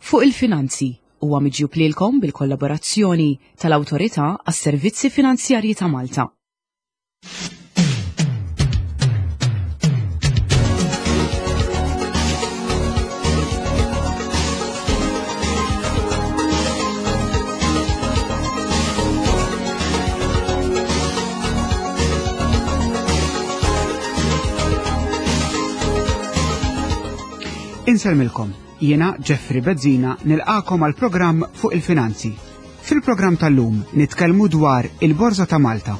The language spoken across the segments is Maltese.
Fuq il-Finanzi huwa miġjub lilkom bil-kollaborazzjoni tal-Awtorità għas-Servizzi Finanzjarji ta' Malta. Insellmilkom, jiena Jeffrey Bezzina nilqakom għal programm fuq il-finanzi. Fil-programm tal-lum nitkellmu dwar il-Borża ta' Malta.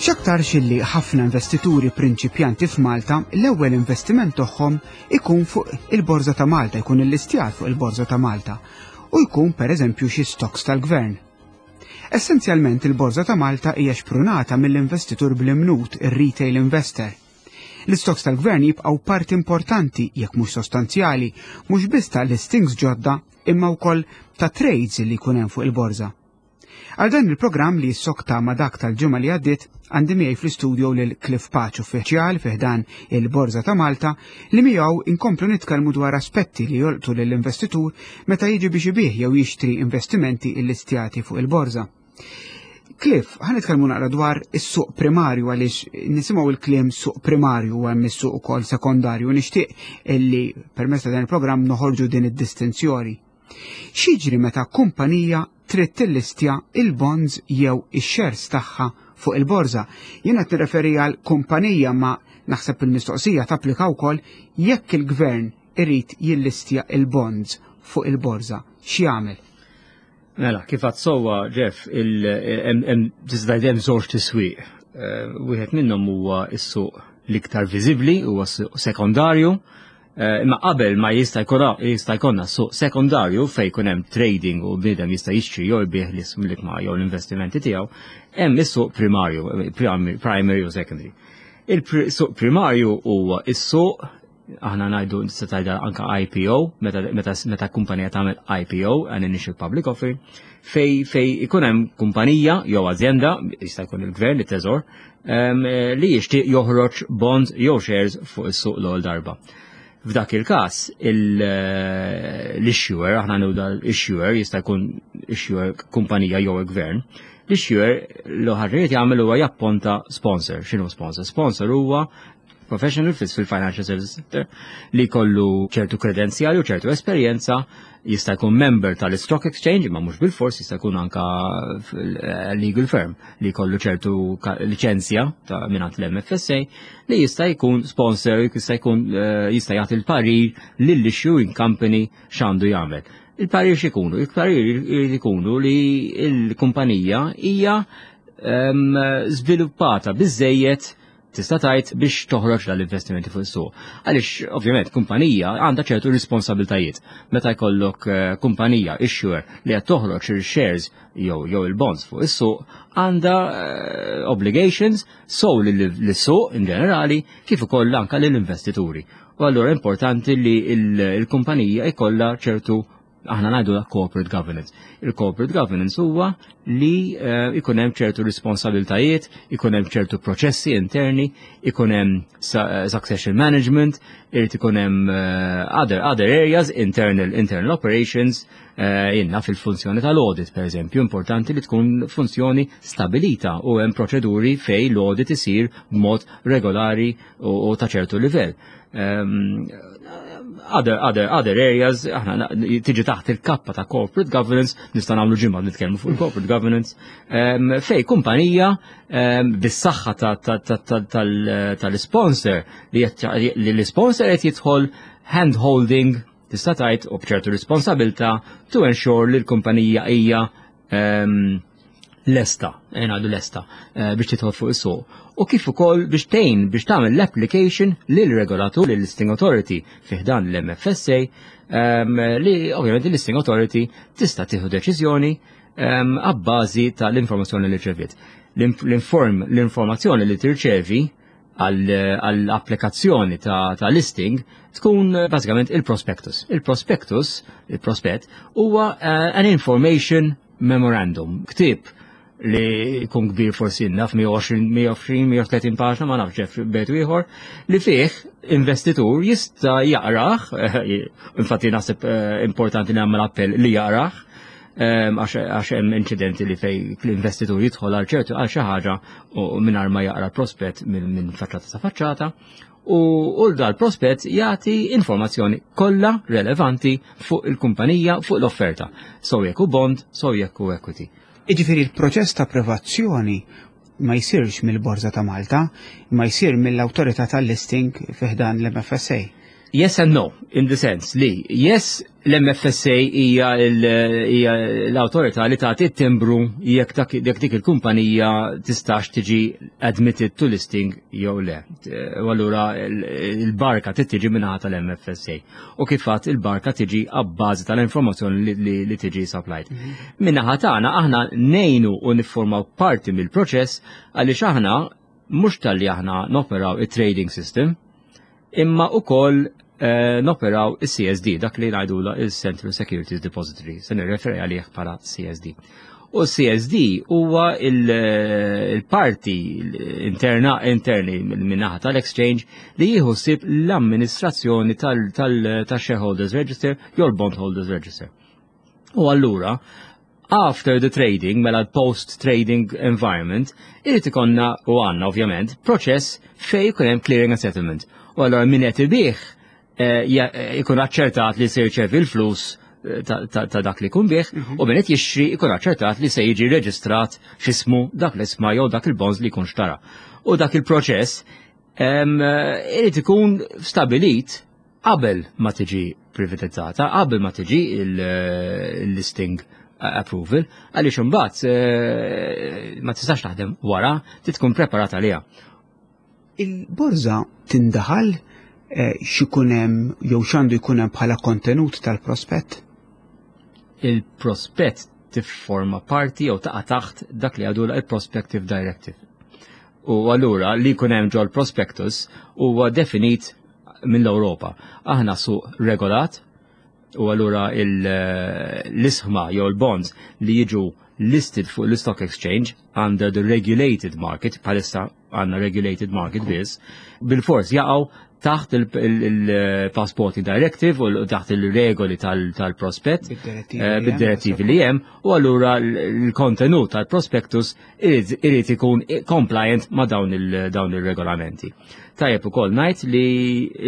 X'aktarx illi ħafna investituri prinċipjanti f'Malta l-ewwel investiment tagħhom ikun fuq il-Borża ta' Malta, jkun illistjat fuq il-Borża ta' Malta u jkun pereżempju xi stocks tal-gvern. Essenzjalment il-Borża ta' Malta hija xprunata mill-investitur bl-imnut, ir-retail investor. L-istoks tal-gvern jibqgħu parti importanti, jekk mhux sostanzjali, mhux biss ta' listings ġodda imma wkoll ta' trades li jkun hemm fuq il-borża. Għal dan il-programm li jissokta ma' dak tal-ġimgħa li għaddiet, għandi miegħi fl-istudio lil Cliff Pace, uffiċjal fi ħdan il-Borża ta' Malta, li miegħu inkomplu nitkellmu dwar aspetti li jolqtu lill-investitur meta jiġi biex ibigħ jew jixtri investimenti illistjati fuq il-borża. Cliff, ħa nitkellmu naqra dwar is-suq primarju għaliex nisimgħu il-kliem suq primarju u hemm is-suq ukoll sekondarju. Nixtieq illi permezz ta' dan il-programm noħorġu din id-distinzjoni. X'jiġri meta kumpanija trid tillistja il-bonds jew ix-shares tagħha fuq il-borża? Jien qed nirreferi għal kumpanija ma naħseb il-mistoqsija tapplika wkoll jekk il-gvern irid jillistja il-bonds fuq il-borża. X'jagħmel? Mela, kif għad sewwa, Jeff, tista' tgħid hemm żewġ tiswieq. Eh, wieħed minnhom huwa s-suq l-iktar viżibbli, huwa s-suq sekondarju, eh, imma qabel ma jista' jista' jkollna suq sekondarju fejn jkun hemm trading u bniedem jista' jixtri jew jbigħ l-ismlik ma' jew l-investimenti tiegħu, hemm is-suq primarju, primary u secondary. Il-suq primarju huwa is-suq aħna ngħidu nista' tgħidha anka IPO, meta, meta, meta kumpanija tagħmel IPO, an initial public offering, fej fej ikun hemm kumpanija jew azienda, jista' jkun il-gvern, it-teżor, li jixtieq joħroġ bonds jew shares fuq is-suq l-ewwel darba. F'dak il-każ, eh, l-issuer, aħna nuda l-issuer, jista' jkun issuer kumpanija jew il-gvern, l-issuer l-ħarriet jagħmel huwa japponta sponsor. X'inhu sponsor? Sponsor huwa professional fil-financial services sector li kollu ċertu kredenzjali u ċertu esperjenza jista' jkun member tal-Stock Exchange, ma mhux bil-fors jista' jkun anka eh, legal firm li kollu ċertu liċenzja ta' mingħand l-MFSA li jista' jkun sponsor, jista' jkun eh, jista' jagħti l-parir lill-issuing company x'għandu jagħmel. Il-parir x'ikunu? Il-parir ikunu li l-kumpanija hija ehm, żviluppata biżejjed tista' tgħid biex toħroġ dal-investimenti fuq is-suq. Għaliex ovvjament kumpanija għandha ċertu responsabiltajiet. Meta jkollok eh, kumpanija issuer li qed toħroġ il-shares jew jew il-bonds fuq is-suq għandha eh, obligations so lis-suq in ġenerali kif ukoll anke lill-investituri. U allura importanti li l-kumpanija jkollha ċertu aħna ngħidu corporate governance. Il-corporate governance huwa li eh, ikun hemm ċertu responsabiltajiet, ikun hemm ċertu proċessi interni, ikun hemm eh, succession management, irid ikun hemm eh, other, other areas, internal, internal operations, inna fil-funzjoni tal-audit, per eżempju, importanti li tkun funzjoni stabilita u hemm proċeduri fej l-audit isir b'mod regolari u ta' ċertu livell. Ehm, other, other, other areas, aħna tiġi taħt il-kappa ta' corporate governance, nista' nagħmlu ġimgħa nitkellmu fuq il-corporate governance, ehm, fej kumpanija ehm, bis-saħħa tal-sponsor li l-sponsor qed jidħol hand holding tista' tgħid u b'ċertu responsabilta to ensure li l-kumpanija hija lesta, eh, ngħidu lesta, eh, biex tidħol fuq is-suq. U kif ukoll biex tgħin biex tagħmel l-application lil regolatur lil listing authority fih dan l-MFSA ehm, li ovvjament il-listing authority tista' tieħu deċiżjoni ehm, għabbażi tal-informazzjoni li rċeviet. L-informazzjoni li tirċevi għall-applikazzjoni ta', ta listing tkun eh, bażikament il-prospectus. Il-prospectus, il-prospett, huwa uh, an information memorandum, ktieb. li jkun kbir forsi naf 120, 120, 130 paġna ma nafx ġef bet ieħor li fih investitur jista' jaqrah, infatti naħseb eh, importanti nagħmel appell li jaqrah, ehm, għax hemm inċidenti li fej l-investitur jidħol għal ċertu għal xi ħaġa u mingħajr ma jaqra prospett minn faċċata sa faċċata u dal-prospett jagħti informazzjoni kollha relevanti fuq il-kumpanija fuq l-offerta, so jekk hu bond, so jekk hu equity. Jiġifieri l-proċess ta' approvazzjoni ma jsirx mill-Borża ta' Malta, ma jsir mill-awtorità tal-listing fi ħdan l-MFSA. Yes and no, in the sense li yes l-MFSA hija l-awtorità li tagħti t-timbru jekk jekk dik il-kumpanija tistax tiġi admitted to listing jew le. U allura il-barka trid tiġi mingħata tal-MFSA. U kif għadt il-barka tiġi abbażi tal-informazzjoni li tiġi supplied. Mhm. Min-naħa tagħna aħna ngħinu u niffurmaw parti mill-proċess għaliex aħna mhux talli aħna noperaw it-trading system, imma ukoll eh, noperaw il-CSD, dak li ngħidula il-Central Securities Depository, se nirreferi għalih bħala CSD. U CSD huwa il-parti interna interni min-naħa tal-exchange li jieħu ħsieb l-amministrazzjoni tal-shareholders register jew l-bondholders register. U allura, after the trading, mela post-trading environment, irid ikonna u għandna ovvjament proċess fej jkun hemm clearing and settlement. U allura min qed ibih eh, eh, ikun aċċertat li se jirċevi l-flus eh, ta' dak li jkun bih mhm. u min qed jixtri ikun aċċertat li se jiġi reġistrat x'ismu dak l-isma jew dak il-bonds li jkun xtara. U dak il-proċess irid ikun stabilit qabel ma tiġi privatizzata, qabel ma tiġi il-listing approval, għaliex imbagħad eh, ma tistax taħdem wara, trid tkun preparata għaliha. Il-borża tindaħal eh, x'ikun hemm jew x'għandu jkun hemm bħala kontenut tal-prospett? Il-prospett tifforma parti jew taqa' taħt dak li għadu il-Prospective Directive. U allura li jkun hemm ġol prospectus huwa definit mill-Ewropa. Aħna suq regolat u allura l-isħma jew l-bonds li jiġu listed fuq l-stock exchange under the regulated market, bħalissa għanna regulated market biss, bil-fors jaqgħu taħt il-Passporting Directive u taħt il-regoli tal-prospett eh, bid-direttivi li hemm u allura l-kontenut tal-prospectus irid ikun compliant ma' dawn il-regolamenti. Tajjeb ukoll ngħid li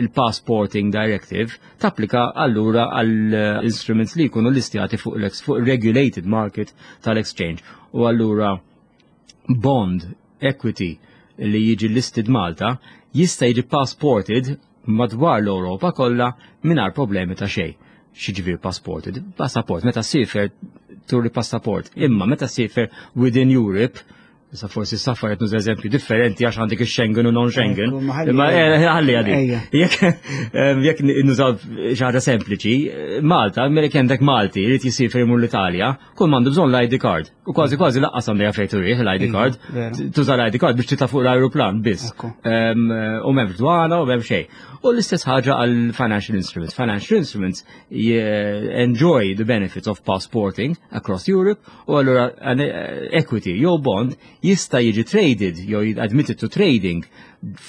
il-Passporting Directive tapplika allura għall instruments li jkunu listjati fuq fuq regulated market tal-exchange u allura bond equity li jiġi listed Malta jista' jiġi passported madwar l-Ewropa kollha mingħajr problemi ta' xejn. X'jiġifieri passported? Passaport, meta ssiefer turi passaport, imma meta ssiefer within Europe, Issa forsi safar qed nuża eżempju differenti għax għandek ix-Schengen u non-Schengen. Imma eh, ħalli għadi. Jekk nużaw xi ħaġa sempliċi, Malta, mela jekk għandek Malti jrid jisiefer imur l-Italja, kull m'għandu bżonn l-ID card. U kważi kważi laqqas għandha fejn turih l-ID card. Tuża l-ID card biex titla' fuq l-ajruplan biss. U m'hemmx dwana u m'hemm xejn. U l-istess ħaġa għal financial instruments. Financial instruments enjoy the benefits of passporting across Europe u allura eh, equity jew bond jista' jiġi traded jew admitted to trading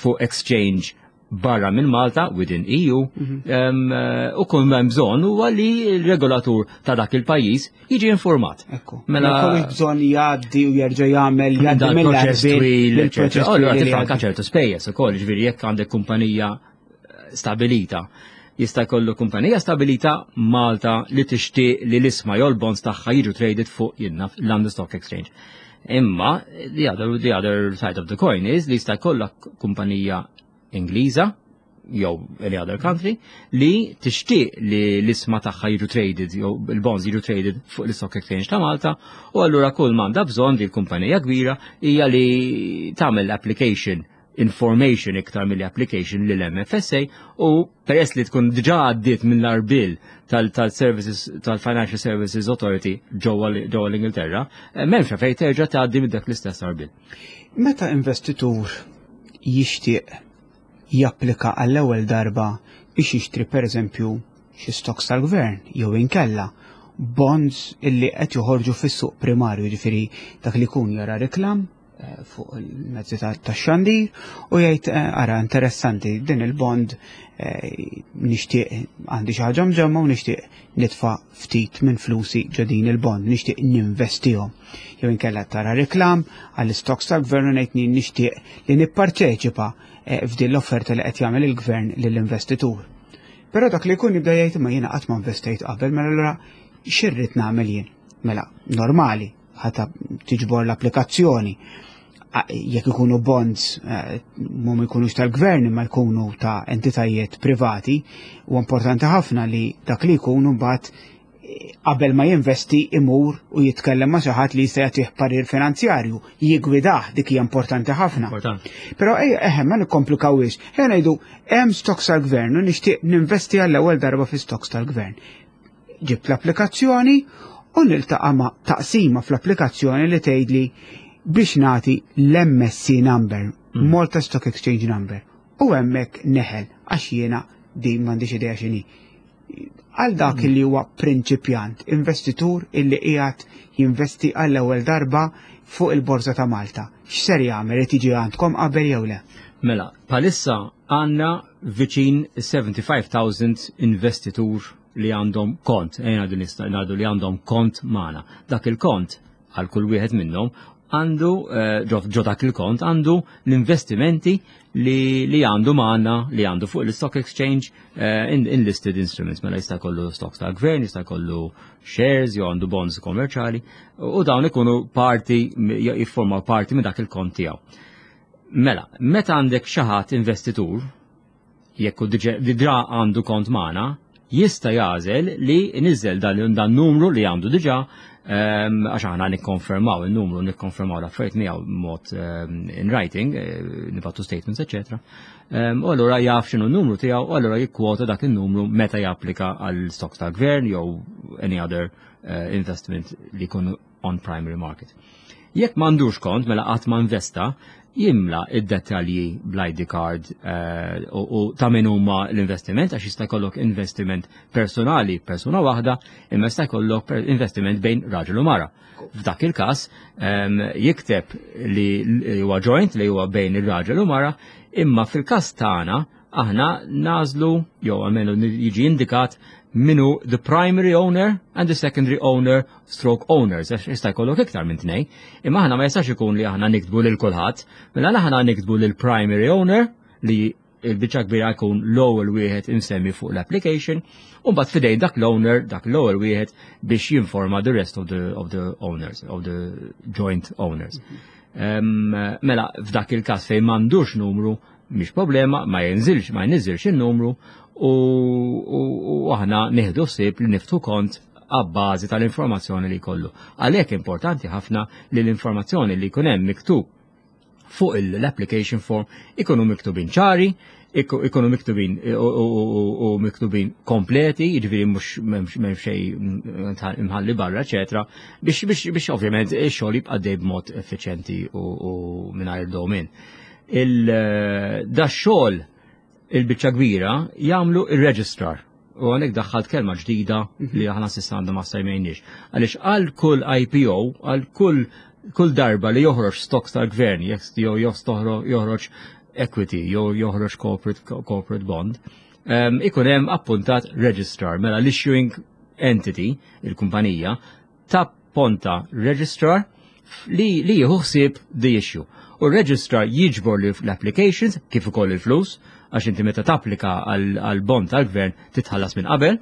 fuq exchange barra minn Malta within EU mhm. eh, u kull hemm bżonn huwa li l-regolatur ta' dak il-pajjiż jiġi informat. Ekku. Mela kollu bżonn jgħaddi u jerġa' jagħmel jgħaddi mill-proċess twil, Allura tifranka ċertu spejjeż ukoll, ġifieri jekk għandek kumpanija eh, stabilita jista' jkollu kumpanija stabilita Malta li tixtieq li l-isma jew l-bonds tagħha jiġu traded fuq jinnaf London Stock Exchange. Imma the other, the other side of the coin is li jista' jkollok kumpanija Ingliża jew any other country li tixtieq li l-isma tagħha jiġu traded jew il-bonds jiġu traded fuq l-Stock Exchange ta' Malta u allura kull m'għandha bżonn li l-kumpanija kbira hija li tagħmel application information iktar mill application lil MFSA u peress li tkun diġà għaddiet mill-arbil tal-Services tal-Financial Services Authority ġewwa l-Ingilterra, eh, m'hemmx fejn terġa' tgħaddi minn dak l-istess arbil. Meta investitur jixtieq japplika għall-ewwel darba biex jixtri pereżempju xi stocks tal-gvern jew inkella bonds illi qed joħorġu fis-suq primarju, ġifieri dak li jkun jara reklam eh, fuq il-mezzi tax-xandir u jgħid eh, ara interessanti din il-bond eh, nixtieq għandi xi ħaġa mġemma u nixtieq nitfa' ftit minn flusi ġo din il-bond, nixtieq ninvestihom. Jew inkella tara reklam għall-stocks tal-gvern u ngħid nixtieq li nipparteċipa f'din l-offerta li qed jagħmel il-gvern lill-investitur. Però dak li jkun jibda jgħid ma jiena qatt ma investejt qabel, mela allura x'irrid nagħmel jien? Mela, normali, ħata tiġbor l-applikazzjoni. Jekk ikunu bonds eh, mhum ikunux tal-gvern imma jkunu ta' entitajiet privati, u importanti ħafna li dak li jkunu mbagħad qabel ma jinvesti imur u jitkellem ma' xi ħadd li jista' jagħtih parir finanzjarju, jigwidah dik hija importanti ħafna. Però ejja eħe ma nikkomplikawhiex. Ejja ngħidu hemm stocks tal-gvern u nixtieq ninvesti għall-ewwel darba fi stocks tal-gvern. Ġibt l-applikazzjoni u niltaqa' ma' taqsima fl-applikazzjoni li tgħidli biex nagħti l-MSC number, mm. Malta Stock Exchange number. U hemmhekk neħel għax jiena din m'għandix idea x'inhi għal dak li huwa prinċipjant, investitur illi qiegħed jinvesti għall-ewwel darba fuq il-Borża ta' Malta. X'ser jagħmel irid jiġi għandkom qabel jew le? Mela, palissa għandna viċin 75,000 investitur li għandhom kont, ejna din ngħidu li għandhom kont magħna. Dak il-kont għal kull wieħed minnhom għandu eh, ġo dak il-kont għandu l-investimenti li, li għandu magħna li għandu fuq l-stock exchange eh, in, in listed instruments mela jista' jkollu stocks tal-gvern, jista' jkollu shares jew għandu bonds kommerċali u dawn ikunu parti jiffurmaw parti minn dak il-kont tiegħu. Mela, meta għandek xi ħadd investitur jekk hu diġà għandu kont magħna, jista' jagħżel li niżel dan numru li għandu diġà ehm, għax aħna nikkonfermaw il-numru, nikkonfermaw l-affarijiet miegħu mod ehm, in writing, eh, nibgħatu statements, eċetera. Ehm, u allura jaf x'inhu n-numru tiegħu u allura jikkwota dak in-numru meta japplika għal stocks tal-gvern jew any other eh, investment li jkunu on primary market. Jekk m'għandux kont mela qatt ma investa, jimla id-dettalji bl-ID card eh, u ta' min huma l-investiment għax jista' jkollok investiment personali persuna waħda imma jista' jkollok investiment bejn raġel u mara. F'dak il-każ ehm, jikteb li huwa joint li huwa bejn ir-raġel u mara, imma fil-każ tagħna aħna nażlu jew għalmenu jiġi indikat minu the primary owner and the secondary owner stroke owners, għax jista' jkollok iktar minn tnej. Imma aħna ma jistax ikun li aħna niktbu lil kulħadd, mela aħna niktbu lil primary owner li il-biċċa kbira jkun l-ewwel wieħed insemmi fuq l-application, u mbagħad fidejn dak l-owner, dak l-ewwel wieħed biex jinforma the rest of the, of the owners, of the joint owners. Um, mela, f'dak il-każ fejn m'għandux numru, mhix problema, ma jinżilx, ma jniżilx in-numru u, u, u aħna nieħdu ħsieb li niftu kont għabbażi tal-informazzjoni li jkollu. Għalhekk importanti ħafna li l-informazzjoni li jkun hemm miktub fuq l-application form ikunu miktubin ċari, ikunu miktubin u miktubin kompleti, jiġifieri mhux m'hemm xejn imħalli barra, eċetera, biex biex biex ovvjament ix-xogħol jibqa' dej b'mod effiċjenti u mingħajr dewmien. Da xogħol il-biċċa kbira jagħmlu ir-registrar. U għalhekk daħħalt kelma ġdida li aħna s'issa għandna ma semmejniex. Għaliex għal kull IPO, għal kull kull darba li joħroġ stocks tal-gvern, jekk jew joħroġ equity jew joħroġ corporate, corporate bond, um, ikun hemm appuntat registrar, mela l-issuing entity, il-kumpanija, ta' ponta registrar li, li jieħu ħsieb the issue. U registrar jiġbor l-applications kif ukoll il-flus, għax inti meta tapplika għal bond tal-gvern titħallas minn qabel.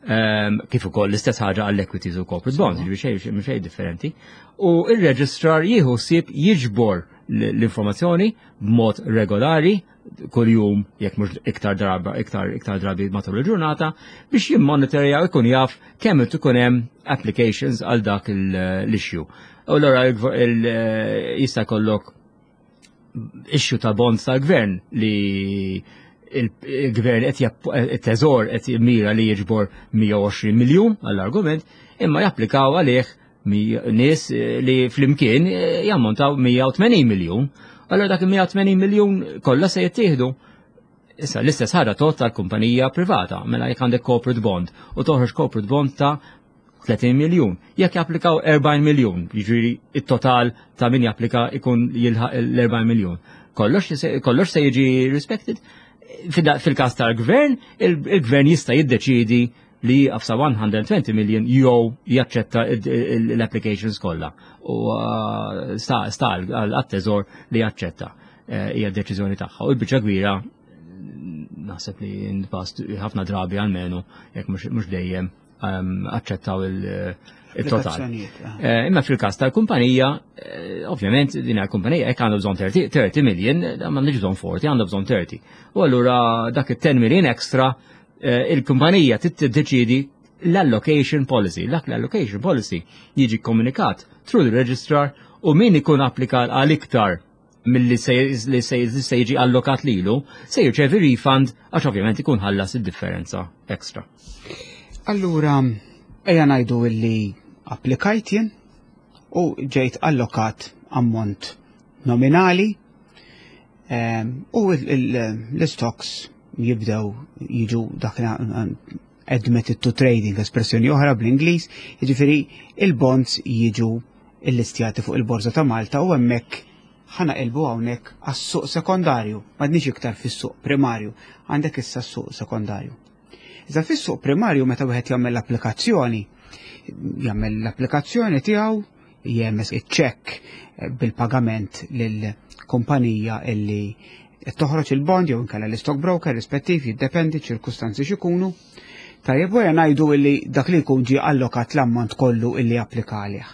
Ehm, kif ukoll l-istess ħaġa għall equities u corporate bonds, jiġifieri xejn xejn differenti. U il-registrar jieħu ħsieb jiġbor l-informazzjoni b'mod regolari kuljum jekk mhux iktar darba iktar iktar drabi matul il-ġurnata biex jimmonitorja u jkun jaf kemm ikun hemm applications għal dak l-issue. U allura jista' jkollok issue ta' bonds tal-gvern li il-gvern qed it-teżor qed jimmira li jiġbor 120 miljun għall-argument, imma japplikaw għalih nies eh, li flimkien eh, jammontaw 180 miljun. Allora dak 180 miljun kollha se jittieħdu. Issa l-istess ħaġa tot tal-kumpanija privata, mela jekk għandek corporate bond u toħroġ corporate bond ta' 30 miljun. Jekk japplikaw 40 miljun, jiġifieri it-total ta' min japplika ikun jilħaq l-40 miljun. Kollox se jiġi respected. Fil-każ tal-gvern, il-gvern jista' jiddeċidi li jieqaf sa 120 million jew jaċċetta l-applications kollha. U sta għat-teżor li jaċċetta eh, hija deċiżjoni tagħha. U l-biċċa kbira naħseb li in-past ħafna drabi għalmenu jekk mhux dejjem ehm, aċċettaw il-total. Eh. Eh, imma fil-każ tal-kumpanija, ovvjament din il-kumpanija jekk għandu bżonn 30 million, m'għandux bżonn 40, għandu bżonn 30. U allura dak it-10 million extra Eh, il-kumpanija tiddeċidi l-allocation policy. Dak l-allocation policy jiġi komunikat through the registrar u min ikun applika għal iktar mill-li se jiġi allokat lilu, se jirċevi refund għax ovvjament ikun ħallas id-differenza extra. Allura, ejja ngħidu illi applikajt jien u ġejt allokat ammont nominali U l-stocks jibdew jiġu dak admitted to trading, espressjoni oħra bl-Ingliż, jiġifieri il-bonds jiġu illistjati fuq il-Borża ta' Malta u hemmhekk ħana qilbu hawnhekk għas-suq sekondarju, m'għadniex iktar fis-suq primarju, għandek issa s-suq sekondarju. Iżda fis-suq primarju meta wieħed jagħmel l-applikazzjoni, jagħmel l-applikazzjoni tiegħu jehmeż iċ-ċekk eh, bil-pagament lill-kumpanija illi qed toħroġ il-bond jew inkella l-stock broker rispettiv jiddependi ċirkustanzi x'ikunu. Tajjeb wara ngħidu illi dak li jkun ġie allokat l-ammont kollu illi applika għalih.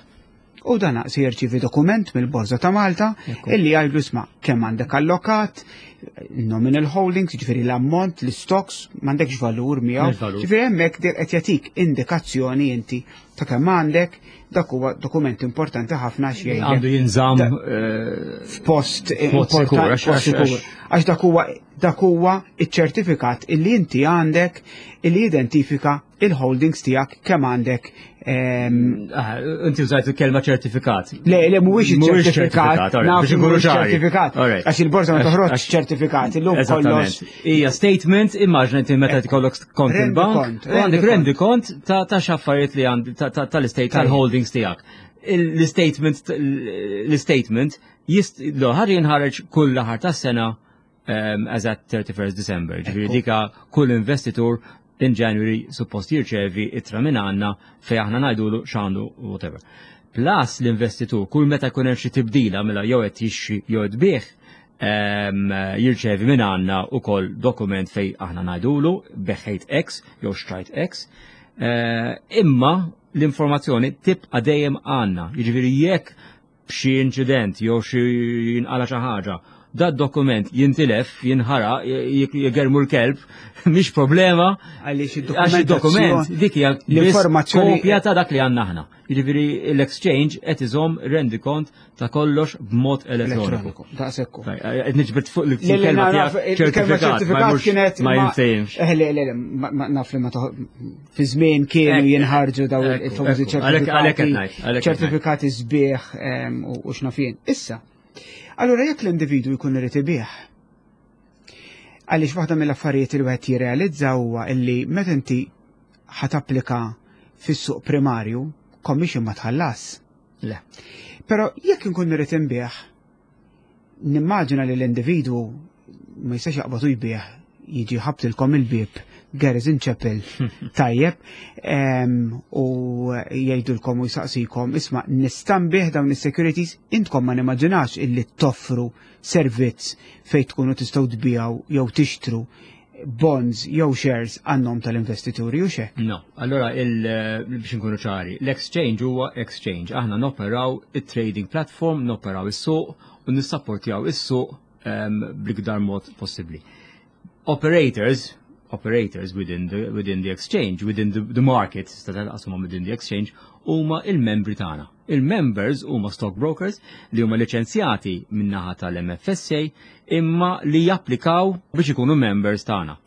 U dan se jirċievi dokument mill-Borża ta' Malta illi jgħidlu isma' kemm għandek allokat, nominal holdings, ġifieri l-ammont, l-stocks, m'għandekx valur miegħu. Ġifieri hemmhekk qed jagħtik indikazzjoni inti ta' kemm għandek, dak huwa dokument importanti ħafna għax jgħidlek. Għandu jinżamm eh, f'post importanti. Għax dak huwa dak huwa iċ-ċertifikat illi inti għandek illi jidentifika il-holdings tiegħek kemm għandek. Ehm, ah, inti użajt il-kelma ċertifikat. Le, le, mhuwiex iċ-ċertifikat, naf mhuwiex ċertifikat. Għax il-borża ma toħroġ ċertifikat, illum kollox. Hija statement, immaġna inti meta tkollok kont il-bank, u għandek rendi kont ta' xaffariet li għand tal-estate tal-holdings tiegħek. L-statement l-statement ħar jinħareġ kull aħar tas-sena ehm, as at 31st December. Ġifieri dika kull investitur in January suppost jirċevi ittra minn għandna fej aħna ngħidulu x'għandu whatever. Plus l-investitur kull meta jkun hemm xi tibdila mela jew qed jixxi jew qed bih jirċevi minn għandna ukoll dokument fej aħna ngħidulu beħħejt X jew xtrajt X. Eh, imma l-informazzjoni tibqa' dejjem għandna. Jiġifieri jekk b'xi inċident jew xi jinqala xi ħaġa, dat dokument jintilef, jinħara, jgermu l-kelb, mhix problema. Għaliex id-dokument dik hija l-informazzjoni kopja ta' dak li għandna aħna. Jiġifieri l-exchange qed iżomm rendikont ta' kollox b'mod elettroniku. Daqshekk. Qed niġbed fuq l-kelma tiegħek ċertifikat kienet ma jinsejmx. Eh, le, le, naf li ma fi żmien kienu jinħarġu daw il-famużi ċertifikati. Ċertifikati sbieħ ehm, u x'nafien. Issa, allura jekk l-individwu jkun irid ibih, għaliex waħda mill-affarijiet li wieħed jirrealizza huwa illi meta inti ħatapplika fis-suq primarju, commission ma tħallas. Le. Però jekk inkun irid inbih, nimmaġina li l-individwu ma jistax jaqbad u jbih jiġi ħabtilkom il-bieb Garrison Chapel tajjeb u jgħidulkom u jsaqsikom isma' nista' nbih dawn is-securities intkom ma nimmaġinax illi toffru servizz fejn tkunu tistgħu tbiegħu jew tixtru bonds jew shares għan-nom tal-investituri u xek. No, allora il, eh, biex nkunu ċari, l-exchange huwa exchange. Aħna noperaw it-trading platform, noperaw is-suq u nissapportjaw is-suq um, bl-iktar mod possibbli. Operators, operators within the, within the exchange, within the, the market, within the exchange, huma il-membri tagħna. Il-members huma stockbrokers li huma liċenzjati min-naħa tal-MFSA imma li japplikaw biex ikunu members tagħna.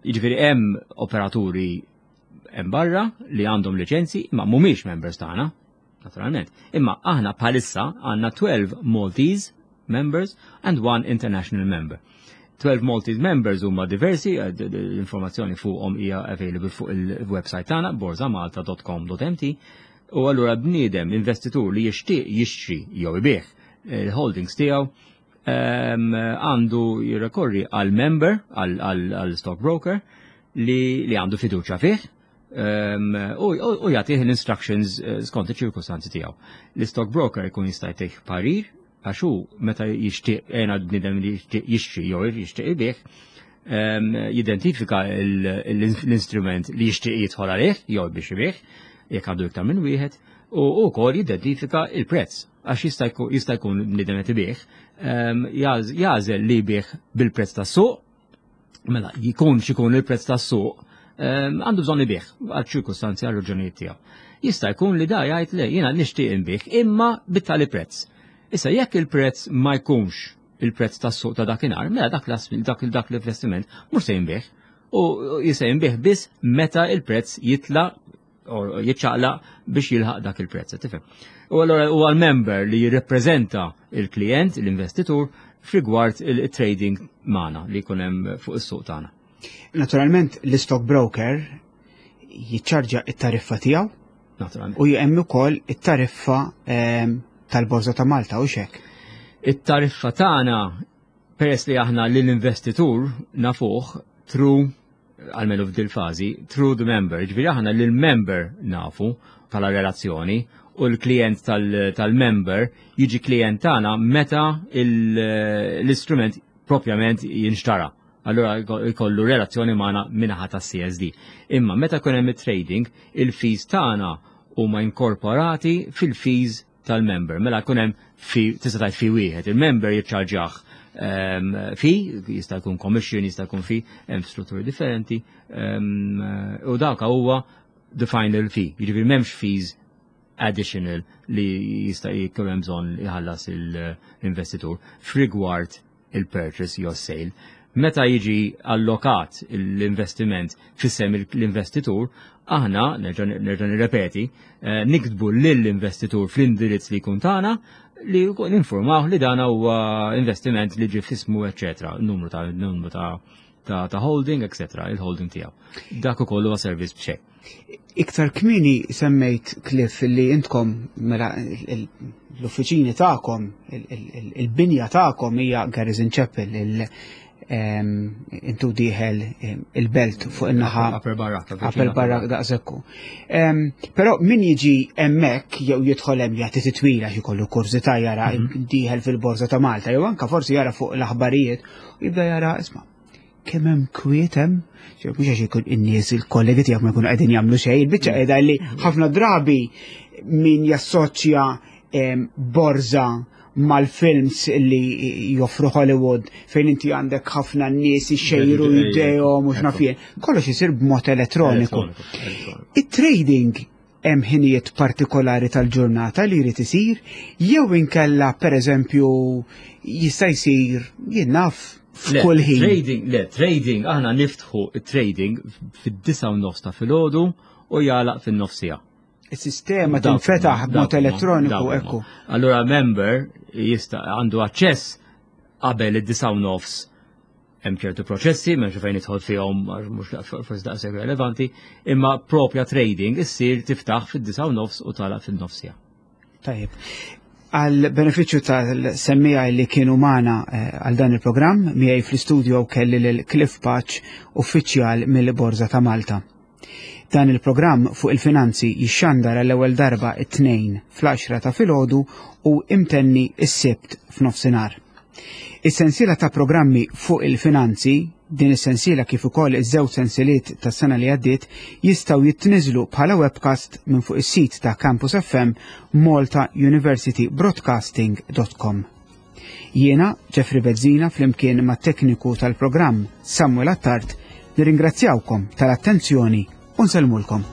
Jiġifieri hemm operaturi hemm barra li għandhom liċenzji imma mhumiex members tagħna, naturalment. Imma aħna bħalissa għandna 12 Maltese members and one international member. 12 Maltese members huma diversi, eh, l-informazzjoni fuqhom hija available fuq il-website tagħna borzamalta.com.mt u allura bniedem investitur li jixtieq jixtri jew ibih il-holdings tiegħu ehm, għandu jirrekorri għal member, għal stockbroker li, li għandu fiduċa fih ehm, u jagħtih l-instructions eh, skont iċ-ċirkustanzi tiegħu. L-stockbroker ikun jista' jtih parir għax hu meta jixtieq għena bniedem li jixtieq jixtri jew jixtieq ibih, ehm, jidentifika l-instrument li jixtieq jidħol għalih jew biex ibih, jekk għandu iktar minn wieħed, u wkoll jidentifika il-prezz għax jista' jkun bniedem qed ibih, ehm, jażel li jbih bil-prezz tas-suq Mela, jkun xikun il-prezz tas-suq, ehm, għandu bżonn ibih għal ċirkustanzi għal raġunijiet tiegħu. Jista' jkun li da jgħid le jiena nixtieq inbih imma bit-tali prezz. Issa jekk il-prezz ma jkunx il-prezz tas-suq ta' dakinhar, mela dak dak dak l-investiment mhux se jinbih u jista' jinbih biss meta il-prezz jitla' jiċċaqlaq biex jilħaq dak il-prezz, tifhem. U allura huwa l-member li jirrepreżenta il-klient, l-investitur, f'rigward il-trading magħna li jkun hemm fuq is-suq tagħna. Naturalment l-stock broker jiċċarġa it-tariffa tiegħu. Naturalment. U hemm ukoll it-tariffa ehm, tal-Borża ta' Malta u xek. It-tariffa tagħna peress li aħna lill-investitur nafuh through għalmenu f'dil fażi, through the member, ġifieri aħna lil member nafu bħala relazzjoni u l-klient tal-member jiġi klient tagħna meta l-istrument propjament jinxtara. Allura jkollu relazzjoni magħna minaħa tas-CSD. Imma meta jkun hemm it-trading, il-fees tagħna huma inkorporati fil-fees tal-member. Mela jkun hemm fi tista' tgħid fi wieħed, il-member jiċċarġjah ehm, fi, jista' jkun commission, jista' jkun fi, hemm strutturi differenti, ehm, u dawk huwa the final fee, jiġifieri m'hemmx fees additional li jista' jkun hemm bżonn jħallas l-investitur f'rigward il-purchase jew sale. Meta jiġi allokat l-investiment f'isem l-investitur, aħna, nerġa' nirrepeti, eh, niktbu lill-investitur fl-indirizz li jkun tagħna li ninformaw li dan huwa investiment li ġie f'ismu, eċetera, numru ta' numru ta' ta', ta holding, eċetera, il-holding tiegħu. Dak ukoll huwa servizz b'xejn. Iktar kmieni semmejt Cliff li intkom mela l-uffiċini tagħkom, il-binja tagħkom hija Garrison Chapel, intu diħel il-belt fuq in-naħa. Upper Barrack. Upper Barrack daqsekku. Però min jiġi hemmhekk jew jidħol hemm jagħti titwila xi kollu kurżità jara mhm. diħel fil-Borża ta' Malta jew anka forsi jara fuq l-aħbarijiet u jibda jara isma' kemm hemm kwiet hemm, mhux għax ikun in-nies il-kollegi tiegħek ma jkunu qegħdin jagħmlu xejn, il-biċċa qiegħda li ħafna drabi min jassoċja borża mal-films li joffru Hollywood fejn inti għandek ħafna nies ixejru jdejhom u x'naf jien. Kollox isir b'mod elettroniku. It-trading hemm ħinijiet partikolari tal-ġurnata li jrid isir jew inkella pereżempju jista' jsir jien naf f'kull ħin. Trading, le, trading, aħna niftħu trading fid-disa u nofs ta' filgħodu u jagħlaq fin-nofsija. Is-sistema tinfetaħ b'mod elettroniku ekku. Allura member jista' għandu aċċess qabel id-disa u nofs Hemm ċertu proċessi, m'hemmx fejn nidħol fihom mhux forsi daqshekk relevanti, imma propja trading issir tiftaħ fid-disa' u nofs u tagħlaq fin-nofsija. Tajjeb. Għal benefiċċju tal-semmija li kienu magħna eh, għal dan il-programm, miegħi fl-istudio kelli lil Cliff Paċ, uffiċjal mill-Borża ta' Malta. Dan il-programm fuq il-finanzi jixxandar għall-ewwel darba it-Tnejn fl-10 ta' filgħodu u imtenni s-Sibt f'nofsinhar. Is-sensiela ta' programmi fuq il-finanzi, din is-sensiela kif ukoll iż-żewġ sensiliet tas-sena li għaddiet jistgħu jitniżlu bħala webcast minn fuq is-sit ta' Campus FM maltauniversitybroadcasting.com. Jiena, Jeffrey Bezzina, flimkien mat-tekniku tal-programm Samuel Attard, nirringrazzjawkom tal-attenzjoni u nsellmulkom.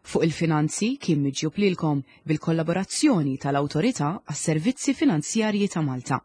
Fuq il-Finanzi kien miġjub lilkom bil-kollaborazzjoni tal-Awtorità għas-Servizzi Finanzjarji ta' Malta.